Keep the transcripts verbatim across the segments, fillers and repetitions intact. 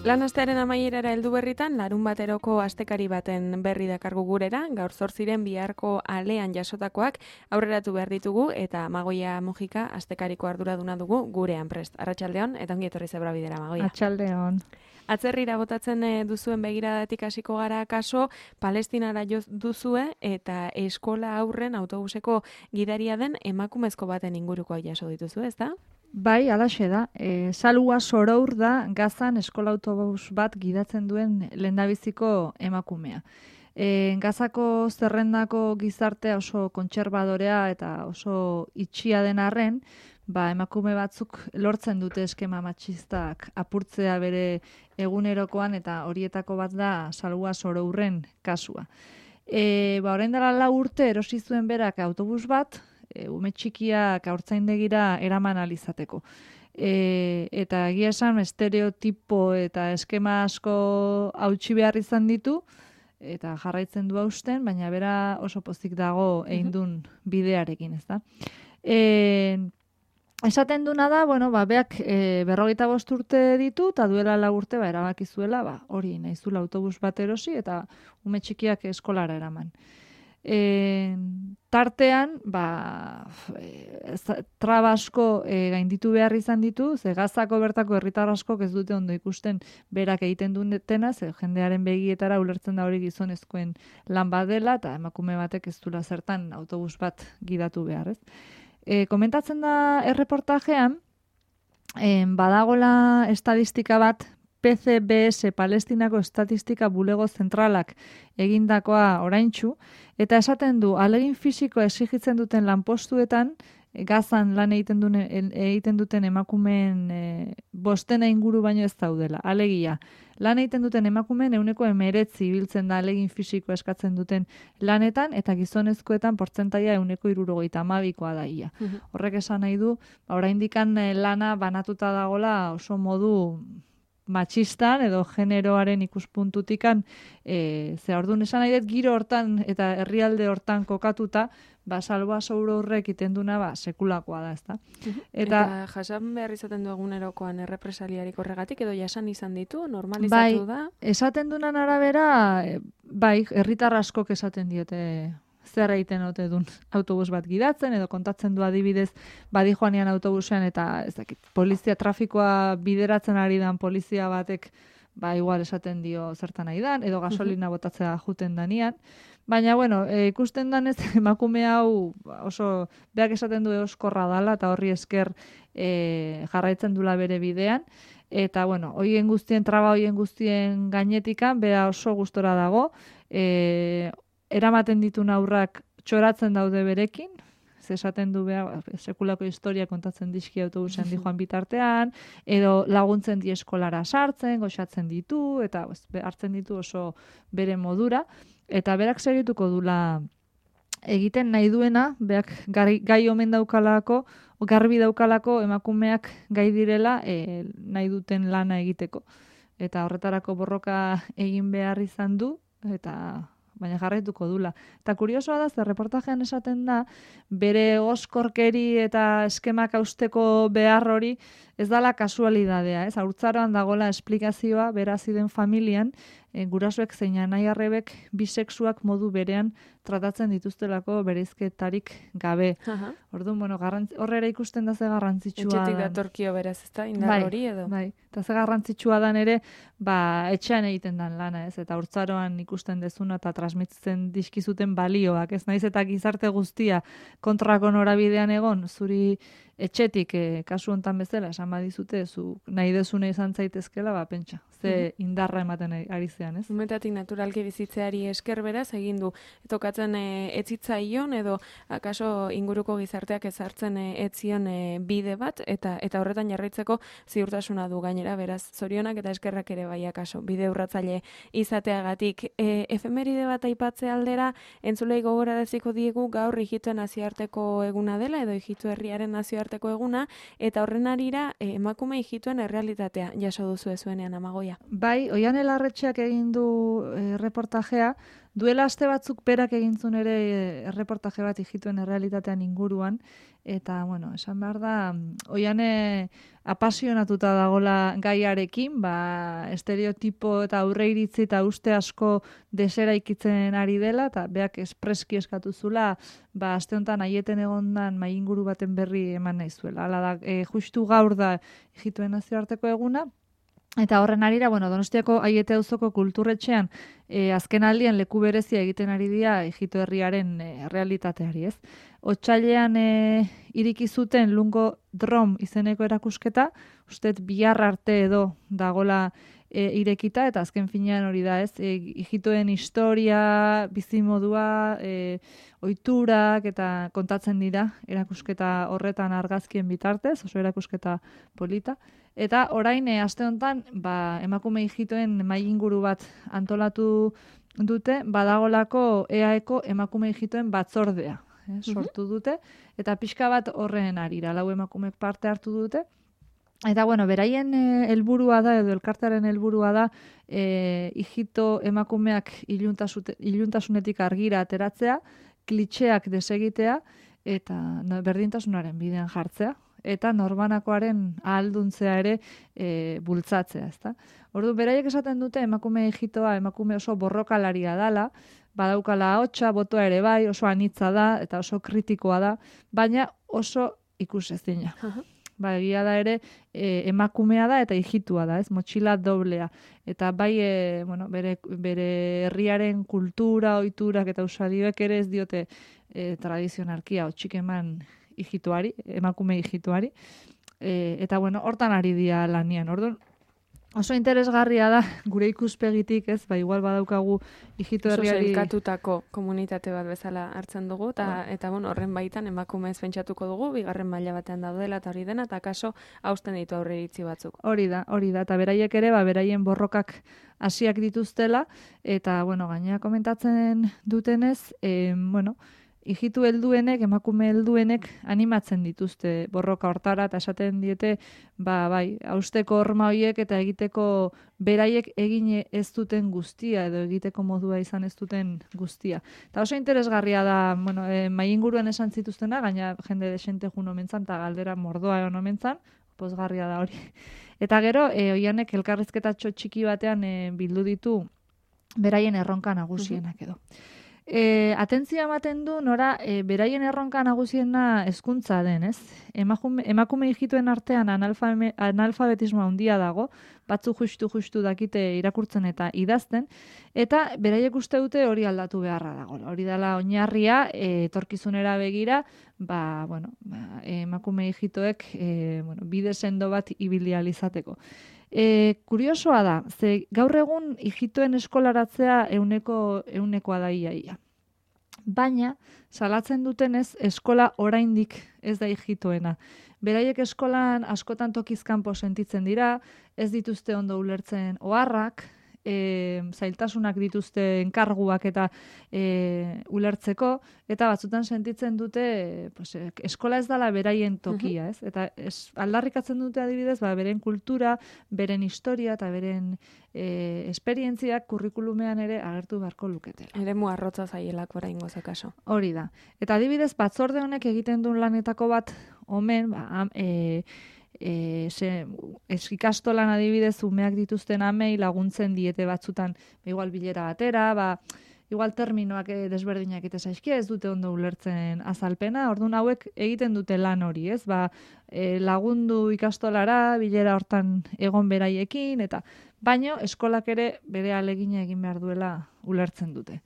Lan astearen amaierara heldu berritan, larun bateroko astekari baten berri dakargu gurera, gaur zortziren biharko alean jasotakoak aurreratu behar ditugu, eta Magoia Mujika astekariko arduraduna dugu gurean prest. Arratsaldeon eta ongi etorri zebra bidera, Magoia. Arratsaldeon. Atzerrira botatzen duzuen begiradatik hasiko gara kaso, Palestinara jo duzue eta eskola aurren autobuseko gidaria den emakumezko baten inguruko jaso dituzu, ezta? Bai, alaxe da. E, Salua Sorour da Gazan eskola autobus bat gidatzen duen lehendabiziko emakumea. E, Gazako zerrendako gizartea oso kontserbadorea eta oso itxia den arren, ba, emakume batzuk lortzen dute eskema matxistak apurtzea bere egunerokoan, eta horietako bat da Salua Sorourren kasua. E, ba, orain dela lau urte erosi zuen berak autobus bat, e, ume txikiak haurtzaindegira eraman alizateko. E, eta egia esan estereotipo eta eskema asko hautsi behar izan ditu, eta jarraitzen du hausten, baina bera oso pozik dago egin duen bidearekin, ez da. E, esaten duna da, bueno, ba, beak e, berrogeita bost urte ditu, eta duela lau urte ba, erabaki zuela, ba, hori nahizula autobus bat erosi, eta ume txikiak eskolara eraman. E, tartean, ba, e, traba asko e, gainditu behar izan ditu, ze Gazako bertako herritar askok ez dute ondo ikusten berak egiten duetena, ze jendearen begietara ulertzen da hori gizonezkoen lan bat dela, eta emakume batek ez duela zertan autobus bat gidatu behar, ez? E, komentatzen da erreportajean, e, badagola estadistika bat, P C B S Palestinako Estatistika Bulego Zentralak egindakoa oraintsu, eta esaten du, alegin fisikoa exigitzen duten lanpostuetan, Gazan lan egiten, dune, egiten duten emakumeen e, bostena inguru baino ez daudela. Alegia, lan egiten duten emakumeen ehuneko emeretzi ibiltzen da alegin fisikoa eskatzen duten lanetan, eta gizonezkoetan portzentaia ehuneko hirurogeita hamabikoa da ia. Horrek esan nahi du, ba, oraindikan lana banatuta dagola oso modu matxistan edo generoaren ikuspuntutikan, e, ze orduan esan nahi dut giro hortan eta herrialde hortan kokatuta, ba, Salua Sorourrek egiten duna, ba, sekulakoa da, ezta. Eta, eta jasan behar izaten du egunerokoan errepresaliarik horregatik, edo jasan izan ditu, normalizatu bai, da? Esaten dunan arabera, bai, herritar askok esaten diote zer egiten ote dun autobus bat gidatzen, edo kontatzen du adibidez badi joanean autobusean, eta ez dakit, polizia trafikoa bideratzen ari dan polizia batek, ba igual esaten dio zertan nahi dan, edo gasolina botatzea juten danian. Baina, bueno, e, ikusten danez emakume hau oso, beak esaten du euskorra dala, eta horri esker e, jarraitzen dula bere bidean. Eta, bueno, hoien guztien, traba hoien guztien gainetikan, bera oso gustora dago, e, eramaten ditu aurrak txoratzen daude berekin, ze esaten du beha, sekulako historia kontatzen dizki autobusean di joan bitartean, edo laguntzen di eskolara sartzen, goxatzen ditu, eta hartzen ditu oso bere modura, eta berak segituko dula egiten nahi duena, beak gai, gai omen daukalako, garbi daukalako emakumeak gai direla e, nahi duten lana egiteko. Eta horretarako borroka egin behar izan du, eta baina jarraituko dula. Eta kuriosoa da, ze reportajean esaten da, bere oskorkeri eta eskemak hausteko behar hori ez dala kasualidadea, ez? Haurtzaroan dagola esplikazioa berazi den familian, e, gurasoek zein anai arrebek bisexuak modu berean tratatzen dituztelako bereizketarik gabe. Orduan, bueno, horrera ikusten da ze garrantzitsua da. Etxetik datorkio beraz, ez da, indar bai, hori edo? Bai, eta ze garrantzitsua dan ere, ba, etxean egiten dan lana, ez? Eta haurtzaroan ikusten dezuna eta transmititzen dizkizuten balioak, ez? Naiz eta gizarte guztia kontrako norabidean egon, zuri etxetik, e, kasu hontan bezala, esan badizute, zu nahi dezune izan zaitezkela, ba, pentsa, ze indarra ematen ari zean, ez? Umetatik naturalki bizitzeari esker beraz, egin du, tokatzen e, etzitzaion, edo akaso inguruko gizarteak ezartzen e, etzion e, bide bat, eta eta horretan jarraitzeko ziurtasuna du gainera, beraz, zorionak eta eskerrak ere bai akaso, bide urratzaile izateagatik. E, efemeride bat aipatze aldera, entzulei gogoraraziko diegu gaur ijituen nazioarteko eguna dela, edo ijitu herriaren nazioarteko eguna, eta horren arira e, emakume ijituen errealitatea jaso duzu ezuenean, Amagoia. Bai, Oian Elarretxeak egin du e, reportajea, duela aste batzuk berak egintzun ere e, reportaje bat ijituen errealitatean inguruan, eta, bueno, esan behar da, oiane apasionatuta dagola gaiarekin, ba, estereotipo eta aurreiritzi eta uste asko deseraikitzen ari dela, eta beak espreski eskatu zula, ba, aste honetan aieten egondan mai inguru baten berri eman nahi zuela. Hala da, e, justu gaur da Ijitoen nazioarteko eguna, eta horren arira, bueno, Donostiako Aiete auzoko kulturretxean e, azken aldian leku berezia egiten ari dira Ijito herriaren e, realitateari, ez? Otsailean e, iriki zuten Lungo Drom izeneko erakusketa, ustet bihar arte edo dagola e, irekita, eta azken finean hori da, ez? E, Ijitoen historia, bizimodua, e, ohiturak eta kontatzen dira erakusketa horretan argazkien bitartez, oso erakusketa polita. Eta orain, e, aste honetan, ba, emakume ijitoen mai inguru bat antolatu dute, badagolako E A Eko emakume ijitoen batzordea, eh, sortu dute, eta pixka bat horren arira, lau emakumek parte hartu dute. Eta, bueno, beraien e, helburua da, edo elkartearen helburua da, e, ijito emakumeak iluntasunetik argira ateratzea, klitxeak desegitea, eta no, berdintasunaren bidean jartzea, eta norbanakoaren ahalduntzea ere e, bultzatzea, ezta? Ordu beraiek esaten dute emakume ijitoa, emakume oso borrokalaria dala, badaukala ahotsa, botoa ere bai, oso anitza da eta oso kritikoa da, baina oso ikusezina. Uh-huh. Ba, egia da ere e, emakumea da eta ijitua da, ez? Motxila doblea. Eta bai, e, bueno, bere, bere herriaren kultura, ohiturak eta usadioek ere ez diote e, tradizionalki ahotsik eman ijituari, emakume ijituari, e, eta bueno, hortan ari dira lanian. Orduan, oso interesgarria da, gure ikuspegitik, ez, ba, igual badaukagu ijito herriari... Oso zelkatutako komunitate bat bezala hartzen dugu, eta, oh. eta bueno, horren baitan emakume ez pentsatuko dugu, bigarren maila batean daudela eta hori dena, eta kaso hausten ditu aurreiritzi batzuk. Hori da, hori da, eta beraiek ere, ba, beraien borrokak hasiak dituztela, eta, bueno, gainera komentatzen dutenez, e, bueno, ijitu helduenek, emakume helduenek animatzen dituzte borroka hortara, eta esaten diete, ba, bai, hausteko horma horiek eta egiteko beraiek egin ez duten guztia, edo egiteko modua izan ez duten guztia. Eta oso interesgarria da, bueno, e, mai inguruen esan zituztena, gaina jende desente jun omentzan, eta galdera mordoa egon omentzan, pozgarria da hori. Eta gero, e, oianek elkarrizketatxo txiki batean e, bildu ditu beraien erronka nagusienak edo. E, atentzioa ematen du nora e, beraien erronka nagusiena hezkuntza den, ez? Emakume, emakume ijituen artean analfame, analfabetismo handia dago, batzu justu-justu dakite irakurtzen eta idazten, eta beraiek uste dute hori aldatu beharra dago. Hori dela oinarria, e, etorkizunera begira, ba, bueno, ba, emakume ijitoek e, bueno, bide sendo bat ibili ahal izateko. E, kuriosoa da, ze gaur egun ijitoen eskolaratzea euneko, eunekoa da iaia. Baina, salatzen dutenez, eskola oraindik ez da ijitoena. Beraiek eskolan askotan tokizkanpo sentitzen dira, ez dituzte ondo ulertzen oharrak, E, zailtasunak dituzte enkarguak eta e, ulertzeko, eta batzutan sentitzen dute pues, eskola ez dala beraien tokia, ez? Eta ez, aldarrikatzen dute adibidez, ba, beren kultura, beren historia eta beren e, esperientziak kurrikulumean ere agertu beharko luketela. Eremu arrotza zaielako oraingoz akaso. Hori da. Eta adibidez, batzorde honek egiten duen lanetako bat, omen, ba, e, E, ze, ez ikastolan adibidez umeak dituzten amei laguntzen diete batzutan igual bilera batera, ba, igual terminoak e, desberdinak eta zaizkia ez dute ondo ulertzen azalpena, orduan hauek egiten dute lan hori, ez? Ba, e, lagundu ikastolara, bilera hortan egon beraiekin, eta baino eskolak ere bere alegina egin behar duela ulertzen dute.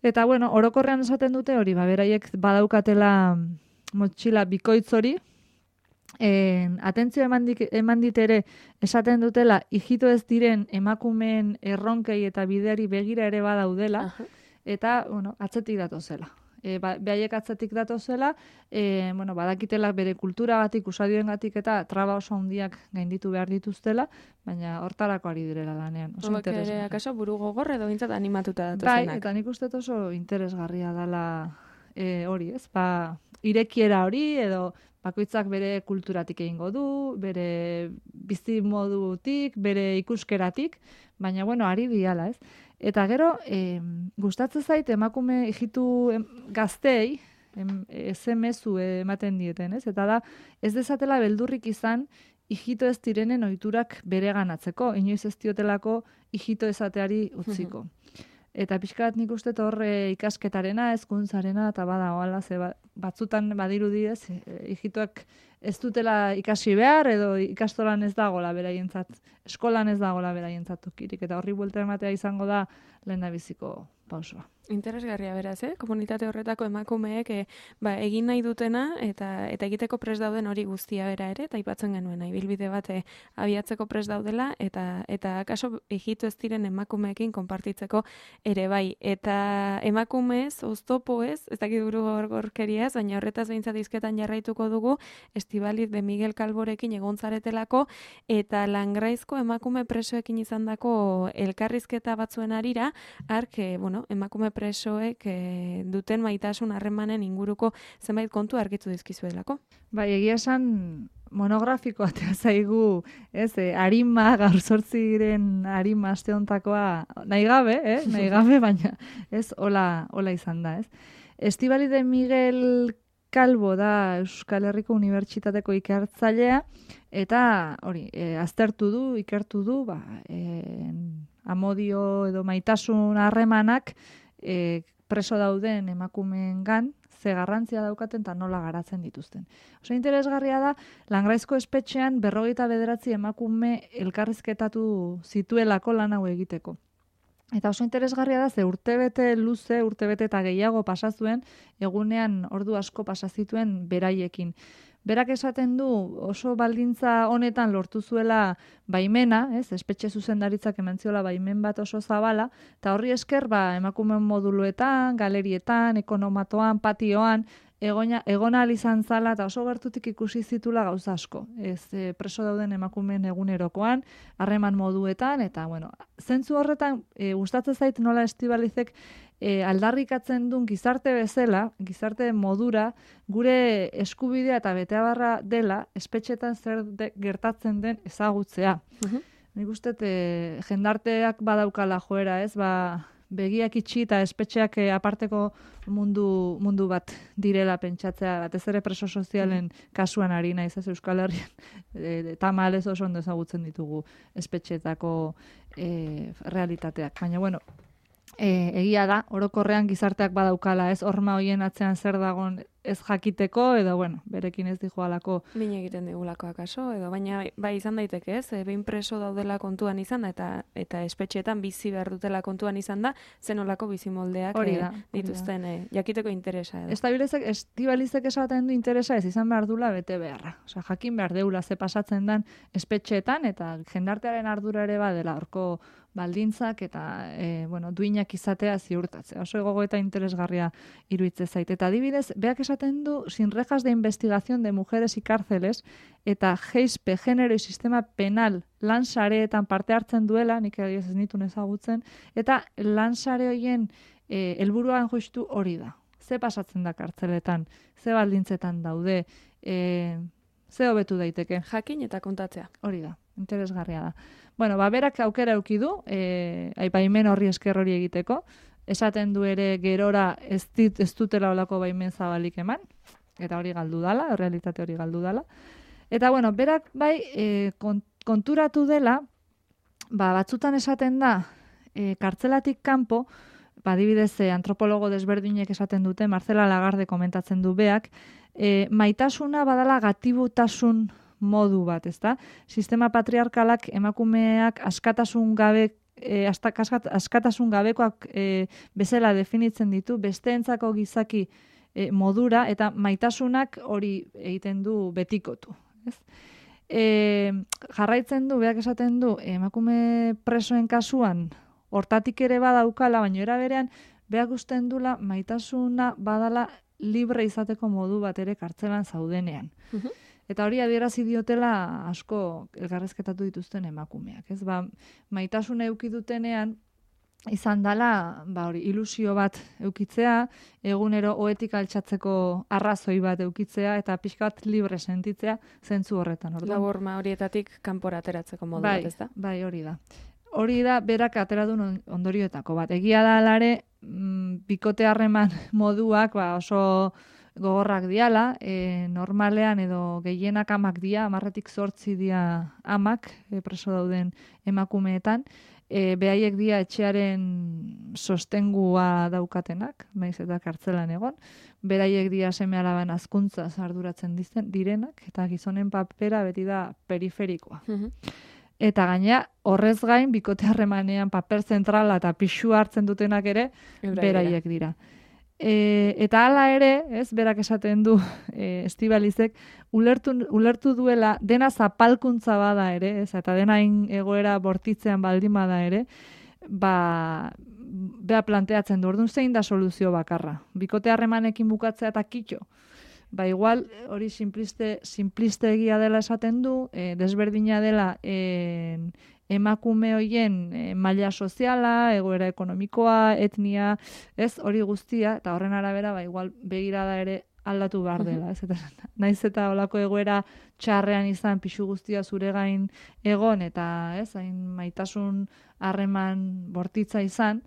Eta bueno, orokorrean esaten dute hori, ba, beraiek badaukatela motxila bikoitz hori, En, atentzio eman dit ere esaten dutela ijito ez diren emakumeen erronkei eta bideari begira ere badaudela, uh-huh. Eta bueno, atzetik datozela. E, ba, behaiek atzetik datozela, e, bueno, badakitela bere kulturagatik, usadioengatik eta traba oso handiak gainditu behar dituztela, baina hortarako ari direla lanean. Oso Hobek ere, akaso buru gogor edo bintzat animatuta datozenak. Bai, eta nik uste oso interesgarria dela e, hori, ez? Ba, irekiera hori edo bakoitzak bere kulturatik egingo du, bere bizimodutik, bere ikuskeratik, baina, bueno, ari diala, ez? Eta gero, e, gustatzen zait emakume ijitu gaztei, ez emezu ematen dieten, ez? Eta da, ez dezatela beldurrik izan, hijito ez direnen ohiturak bereganatzeko, inoiz ez diotelako hijito esateari utziko. Eta pixkat nik uste horre ikasketarena, hezkuntzarena eta bada oala, ze batzutan badirudi ez, hijitoak ez dutela ikasi behar, edo ikastolan ez dagola beraientzat, eskolan ez dagola beraientzat tokirik, eta horri buelta ematea izango da lehendabiziko pausoa. Interesgarria beraz, eh? Komunitate horretako emakumeek e, ba, egin nahi dutena eta eta egiteko prest dauden hori guztia bera ere, eta aipatzen genuen ibilbide bat e, abiatzeko prest daudela, eta eta akaso egitu ez diren emakumeekin konpartitzeko ere bai. Eta emakumez, oztopoez, ez dakit buru gorgorkeriaz, baina horretaz behintzat izketan jarraituko dugu, Estibaliz de Miguel Calvorekin egon zaretelako, eta Langraizko emakume presoekin izandako elkarrizketa batzuen arira, ark, e, bueno, emakume presoek e, duten maitasun harremanen inguruko zenbait kontu argitu dizkizuelako. Bai, egia esan monografikoa atea zaigu, ez, e, arima, gaur zortziren arima aste hontakoa, nahi gabe, eh, nahi gabe, baina ez, hola, hola izan da, ez. Estibaliz de Miguel Calvo da Euskal Herriko Unibertsitateko ikertzailea, eta hori, e, aztertu du, ikertu du, ba, e, amodio edo maitasun harremanak e, preso dauden emakumeengan ze garrantzia daukaten eta nola garatzen dituzten. Oso interesgarria da, Langraizko espetxean berrogeita bederatzi emakume elkarrizketatu zituelako lan hau egiteko. Eta oso interesgarria da, ze urtebete luze, urtebete eta gehiago pasazuen, egunean ordu asko pasazituen beraiekin. Berak esaten du oso baldintza honetan lortu zuela baimena, ez, espetxe zuzendaritzak emantziola baimen bat oso zabala, eta horri esker ba, emakumeen moduluetan, galerietan, ekonomatoan, patioan, egona, egona izan zala eta oso gertutik ikusi zitula gauza asko. Ez, e, preso dauden emakumeen egunerokoan, harreman moduetan, eta bueno, zentzu horretan e, gustatzen zait nola Estibalizek E, aldarrikatzen duen gizarte bezala, gizarte modura, gure eskubidea eta beteabarra dela, espetxetan zer de, gertatzen den ezagutzea. Uh-huh. Nik uste, e, jendarteak badaukala joera, ez, ba, begiak itxi eta espetxeak e, aparteko mundu, mundu bat direla pentsatzea, batez ere preso sozialen kasuan ari naiz, ez, Euskal Herrian, e, tamalez oso ondo ezagutzen ditugu espetxeetako e, realitateak. Baina, bueno, E, egia da, orokorrean gizarteak badaukala, ez, horma hoien atzean zer dagon ez jakiteko, edo, bueno, berekin ez dijoalako. Min egiten digulako akaso, edo, baina bai izan daiteke, ez, e, behin preso daudela kontuan izan da, eta eta espetxeetan bizi behar dutela kontuan izan da, zenolako bizimoldeak e, dituzten e, jakiteko interesa. Edo. Estibalizek esaten du interesa ez izan behar dula bete beharra. Osea, jakin behar deula ze pasatzen den espetxeetan, eta jendartearen ardura ere badela horko baldintzak eta e, bueno, duinak izatea ziurtatzea. Oso gogo eta interesgarria iruitze zait. Eta adibidez, beak esaten du, sin rejas de investigación de mujeres y cárceles, eta G I S P, género y sistema penal, lan sareetan parte hartzen duela, nik ez nituen ezagutzen, eta lan sare horien e, helburuan justu hori da. Ze pasatzen da kartzeletan, ze baldintzetan daude, e, ze hobetu daiteke. Jakin eta kontatzea. Hori da, interesgarria da. Bueno, ba, berak aukera eduki du, e, aipaimen horri esker hori egiteko, esaten du ere gerora ez, dit, ez dutela olako baimen zabalik eman, eta hori galdu dala, realitate hori galdu dala. Eta, bueno, berak bai e, konturatu dela, ba, batzutan esaten da, e, kartzelatik kanpo, ba, adibidez, e, antropologo desberdinek esaten dute, Marcela Lagarde komentatzen du beak, e, maitasuna badala gatibutasun modu bat, ezta? Sistema patriarkalak emakumeak askatasun gabe e, askatasun gabekoak e, bezala definitzen ditu, besteentzako gizaki e, modura, eta maitasunak hori egiten du betikotu, ez? E, jarraitzen du, beak esaten du, emakume presoen kasuan hortatik ere badaukala, baina era berean beak usten dula maitasuna badala libre izateko modu bat ere kartzelan zaudenean. Uh-huh. Eta hori adierazi diotela asko elkarrezketatu dituzten emakumeak, ez? Ba, maitasuna eduki dutenean izan dala, ba hori, ilusio bat eukitzea, egunero ohetik altxatzeko arrazoi bat eukitzea eta pixkat libre sentitzea zentzu horretan. Laborma horietatik kanpora ateratzeko modu bai, bat, ez da? Bai, hori da. Hori da berak atera duen ondorioetako bat. Egia da alare, mm, bikote harreman moduak ba, oso gogorrak diala, e, normalean edo gehienak amak dia, amarretik zortzi dia amak e, preso dauden emakumeetan, e, behaiek dia etxearen sostengua daukatenak, maiz eta kartzelan egon, beraiek dia seme alaban hazkuntza arduratzen dizen, direnak, eta gizonen papera beti da periferikoa. Eta gaina, horrez gain, bikote harremanean paper zentrala eta pixua hartzen dutenak ere, beraiek dira. E, eta hala ere, ez, berak esaten du e, Estibalizek, ulertu, ulertu duela dena zapalkuntza bada ere, ez, eta dena egoera bortitzean baldin bada ere, ba, bea planteatzen du, orduan zein da soluzio bakarra. Bikote harremanekin bukatzea eta kitxo. Ba, igual, hori simpliste, simpliste egia dela esaten du, e, desberdina dela e, emakume hoien e, maila soziala, egoera ekonomikoa, etnia, ez, hori guztia, eta horren arabera, ba, igual, begirada ere aldatu behar dela, ez, eta naiz eta olako egoera txarrean izan, pixu guztia zure gain egon, eta, ez, hain maitasun harreman bortitza izan,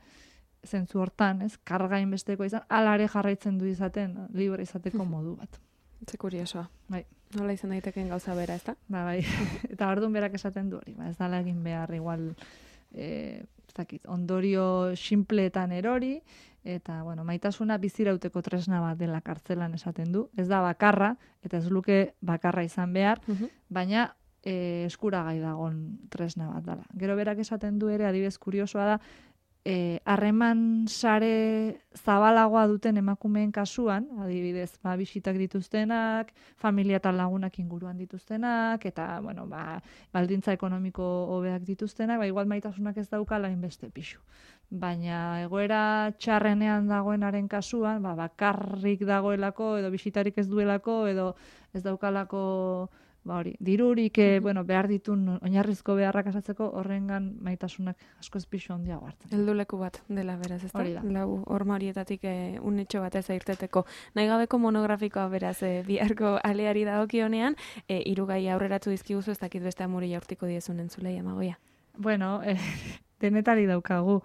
zentzu hortan, ez, kargain besteko izan, alare jarraitzen du izaten, libre izateko modu bat. Ze kuriosoa. Bai. Nola izan daiteken gauza bera, ez da? Ba, bai. Eta orduan berak esaten du hori, ba, ez dala egin behar, igual, e, ez dakit, ondorio sinpleetan erori, eta, bueno, maitasuna bizirauteko tresna bat dela kartzelan esaten du, ez da bakarra, eta ez luke bakarra izan behar, baina e, eskuragai dagon tresna bat dela. Gero berak esaten du ere, adibidez kuriosoa da, harreman e, sare zabalagoa duten emakumeen kasuan, adibidez, ba, bisitak dituztenak, familia eta lagunak inguruan dituztenak, eta, bueno, ba, baldintza ekonomiko hobeak dituztenak, ba, igual maitasunak ez daukala inbeste pixu. Baina egoera txarrenean dagoenaren kasuan, ba, bakarrik dagoelako, edo bisitarik ez duelako, edo ez daukalako, ba hori, dirurik, eh, bueno, behar ditun oinarrizko beharrak asatzeko horrengan maitasunak asko ez pixu handiago hartzen. Helduleku bat dela beraz, ez da? Hori da. Lau horma horietatik eh, unetxo bat ez airteteko. Nahi gabeko monografikoa beraz eh, biharko aleari dagokionean, eh, hirugai aurreratu dizkiguzu, ez dakit beste amuri jaurtiko diezun entzulei, Amagoia. Bueno, eh, denetari daukagu.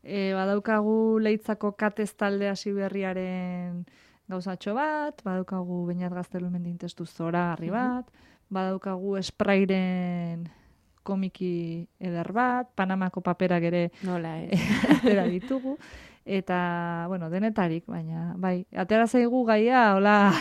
Eh, badaukagu Leitzako Katez talde hasi berriaren gauzatxo bat, badaukagu Beñat Gaztelumendi testu zoragarri bat, badaukagu Sprairen komiki eder bat, Panamako paperak ere nola ez atera ditugu, eta, bueno, denetarik, baina, bai, atera zaigu gaia, hola,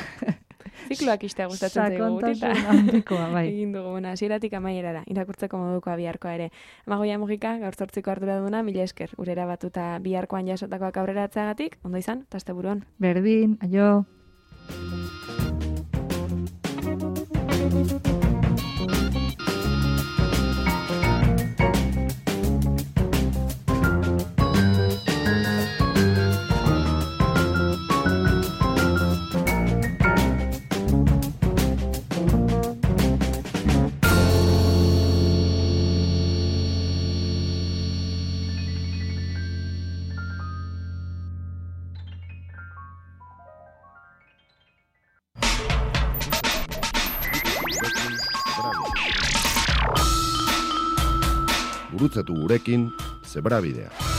zikloak istea gustatzen zaigu gutita. Sakontasun handikoa, bai. Egin dugu, bueno, hasieratik amaierara, irakurtzeko modukoa biharkoa ere. Amagoia Mugika, gaur zortziko arduraduna, mila esker, urera batuta biharkoan jasotakoak aurreratzeagatik, ondo izan, eta asteburuan. Berdin, aio. Gurutzatu gurekin Zebrabidea.